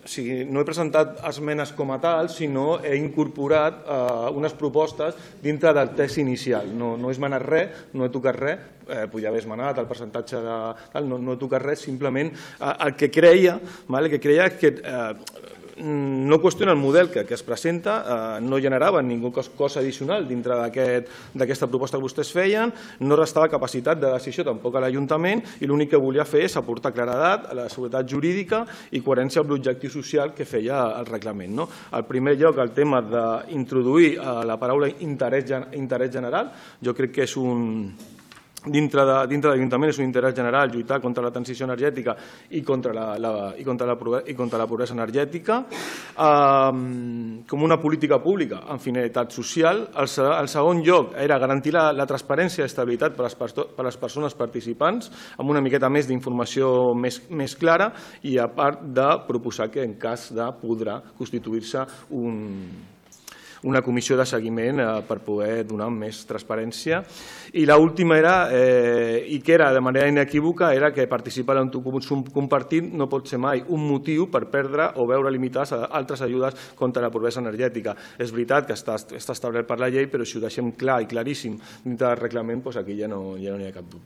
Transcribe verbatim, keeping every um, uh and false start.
o sigui, no he presentat esmenes com a tal, sinó he incorporat eh, unes propostes dintre del text inicial. No, no he esmenat res, no he tocat res, eh, podia haver esmenat el percentatge de tal, no, no he tocat res, simplement eh, el que creia, vale, el que creia és que eh, no qüestiona el model que, que es presenta, eh, no generava ningú cosa addicional dintre d'aquesta proposta que vostès feien, no restava capacitat de decisió tampoc a l'Ajuntament i l'únic que volia fer és aportar claredat a la seguretat jurídica i coherència amb l'objectiu social que feia el reglament. No? En primer lloc, el tema d'introduir la paraula interès, interès general, jo crec que és un... dintre de, dintre de l'Ajuntament és un interès general lluitar contra la transició energètica i contra la, la, i contra la, i contra la pobresa energètica eh, com una política pública amb finalitat social. El, el segon lloc era garantir la, la transparència i estabilitat per a les, per a les persones participants amb una miqueta més d'informació més, més clara i a part de proposar que en cas de podrà constituir-se un una comissió de seguiment per poder donar més transparència. I l'última era, eh, i que era de manera inequívoca, era que participar en un consum compartit no pot ser mai un motiu per perdre o veure limitades altres ajudes contra la pobresa energètica. És veritat que està, està establert per la llei, però si ho deixem clar i claríssim dintre del reglament, doncs aquí ja no, ja no hi ha cap dubte.